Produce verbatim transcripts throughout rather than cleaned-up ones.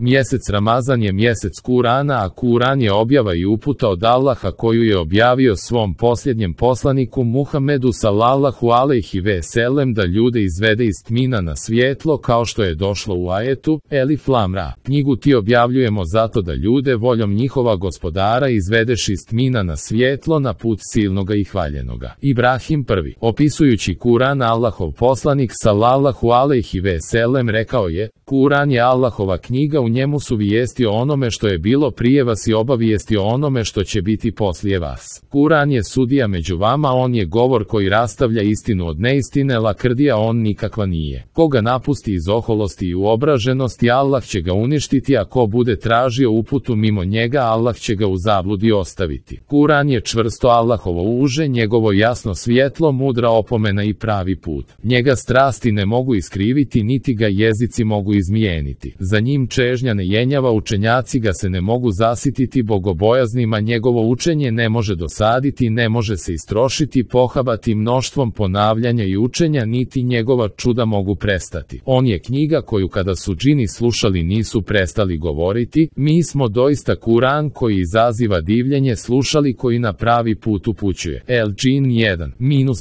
Mjesec Ramazan je mjesec Kurana, a Kuran je objava i uputa od Allaha koju je objavio svom posljednjem poslaniku Muhammedu sallallahu alejhi ve sellem da ljude izvede iz tmina na svjetlo, kao što je došlo u ajetu Elif Lam Ra. Knjigu ti objavljujemo zato da ljude voljom njihova gospodara izvedeš iz tmina na svjetlo, na put silnoga i hvaljenoga. Ibrahim prvi. Opisujući Kuran, Allahov poslanik sallallahu alejhi ve sellem rekao je: Kuran je Allahova knjiga, u njemu su vijesti o onome što je bilo prije vas i obavijesti o onome što će biti poslije vas. Kuran je sudija među vama, on je govor koji rastavlja istinu od neistine, lakrdija on nikakva nije. Koga napusti iz oholosti i uobraženosti, Allah će ga uništiti, a ko bude tražio uputu mimo njega, Allah će ga u zabludi ostaviti. Kuran je čvrsto Allahovo uže, njegovo jasno svjetlo, mudra opomena i pravi put. Njega strasti ne mogu iskriviti, niti ga jezici mogu izmijeniti. Za njim čežnja ne jenjava, učenjaci ga se ne mogu zasititi, bogobojaznima njegovo učenje ne može dosaditi, ne može se istrošiti, pohabati mnoštvom ponavljanja i učenja, niti njegova čuda mogu prestati. On je knjiga koju kada su džini slušali nisu prestali govoriti: mi smo doista Kuran koji izaziva divljenje slušali, koji na pravi put upućuje. El Džin jedan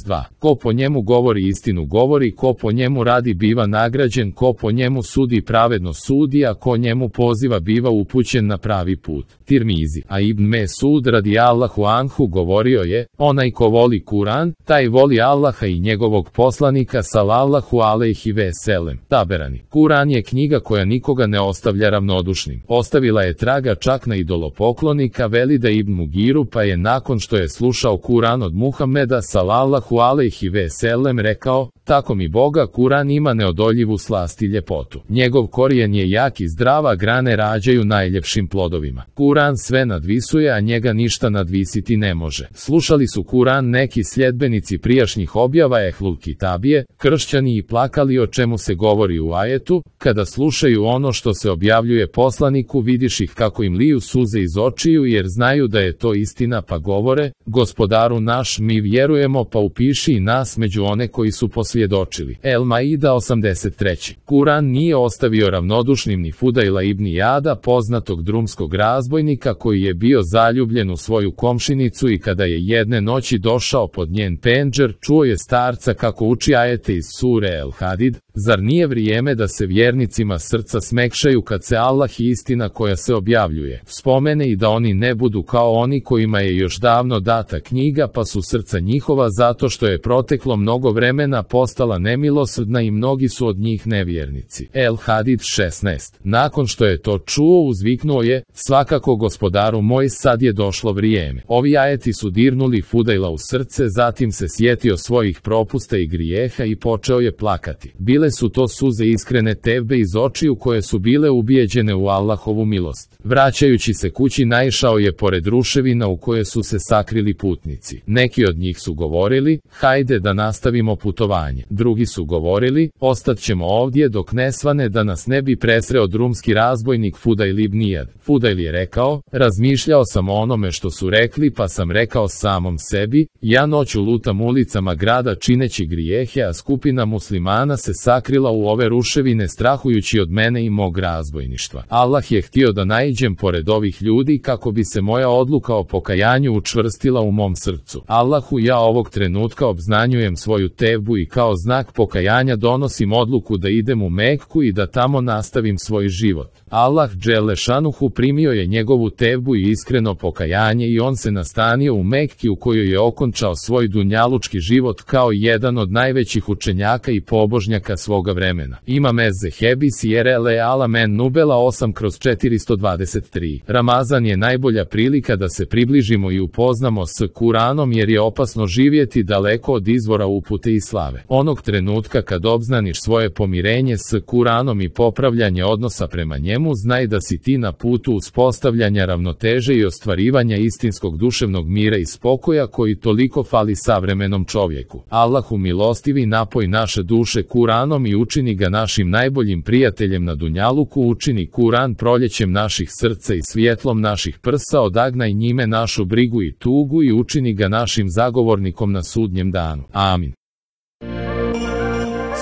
dva. Ko po njemu govori istinu govori, ko po njemu radi biva nagrađen, ko po njemu sudi pravedno sudi, a ko njemu poziva biva upućen na pravi put. Tirmizi. A Ibn Mesud radijallahu anhu govorio je: onaj ko voli Kuran, taj voli Allaha i njegovog poslanika sallallahu alejhi ve sellem. Taberani. Kuran je knjiga koja nikoga ne ostavlja ravnodušnim. Ostavila je traga čak na idolopoklonika Velida ibn Mugiru, pa je nakon što je slušao Kuran od Muhameda sallallahu alejhi ve sellem rekao: tako mi Boga, Kuran ima neodoljivu slast i ljepotu. Njegov korijen je jak i zdrava, grane rađaju najljepšim plodovima. Kuran sve nadvisuje, a njega ništa nadvisiti ne može. Slušali su Kuran neki sljedbenici prijašnjih objava Ehlul Kitabije, kršćani, i plakali o čemu se govori u ajetu. Kada slušaju ono što se objavljuje poslaniku, vidiš ih kako im liju suze iz očiju, jer znaju da je to istina, pa govore: gospodaru naš, mi vjerujemo, pa upiši i nas među one koji su posvjedočili. El Maida osamdeset tri. Kuran nije ostavio ravnodušnim ni Fudajla ibn Jada, poznatog drumskog razbojnika koji je bio zaljubljen u svoju komšinicu, i kada je jedne noći došao pod njen pendžer, čuo je starca kako uči ajete iz sure El Hadid: zar nije vrijeme da se vjernicima srca smekšaju kad se Allah i istina koja se objavljuje spomene, i da oni ne budu kao oni kojima je još davno data knjiga, pa su srca njihova zato što je proteklo mnogo vremena postala nemilosrdna i mnogi su od njih nevjernici. El Hadid šesnaest. Nakon što je to čuo, uzviknuo je: svakako gospodaru moj, sad je došlo vrijeme. Ovi ajeti su dirnuli Fudajla u srce, zatim se sjetio svojih propusta i grijeha i počeo je plakati. Bile su to suze iskrene tevbe iz očiju koje su bile ubijeđene u Allahovu milost. Vraćajući se kući, naišao je pored ruševina u koje su se sakrili putnici. Neki od njih su govorili: hajde da nastavimo putovanje. Drugi su govorili: ostat ćemo ovdje dok ne svane, da nas ne bi presreo drumski razbojnik Fudajl ibn Jad. Fudajl je rekao: razmišljao sam o onome što su rekli, pa sam rekao samom sebi: ja noću lutam ulicama grada čineći grijehe, a skupina muslimana se sakrila u ove ruševine strahujući od mene i mog razbojništva. Allah je htio da naiđem pored ovih ljudi kako bi se moja odluka o pokajanju učvrstila u mom srcu. Allahu, ja ovog trenutka obznanjujem svoju tevbu i kao znak pokajanja donosim odluku da idem u Mekku i da tamo nastavim svoj život. Allah dželle šanuhu primio je njegovu tevbu i iskreno pokajanje, i on se nastanio u Mekki, u kojoj je okončao svoj dunjalučki život kao jedan od najvećih učenjaka i pobožnjaka svoga vremena. Imam Ez-Zehebi Sierele Alamen Nubela osam kroz četiristo dvadeset tri. Ramazan je najbolja prilika da se približimo i upoznamo s Kuranom, jer je opasno živjeti daleko od izvora upute i slave. Onog trenutka kad obznaniš svoje pomirenje s Kuranom i popravljanje odnosa prema njemu, znaj da si ti na putu uspostavljanja ravnoteže i ostvarivanja istinskog duševnog mira i spokoja koji toliko fali savremenom čovjeku. Allahu milostivi, napoj naše duše Kuranom i učini ga našim najboljim prijateljem na dunjaluku, učini Kuran proljećem naših srca i svjetlom naših prsa, odagnaj njime našu brigu i tugu i učini ga našim zagovornikom na sudnjem danu. Amin.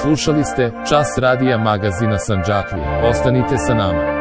Slušali ste Čas radija magazina Sandžaklije. Ostanite sa nama.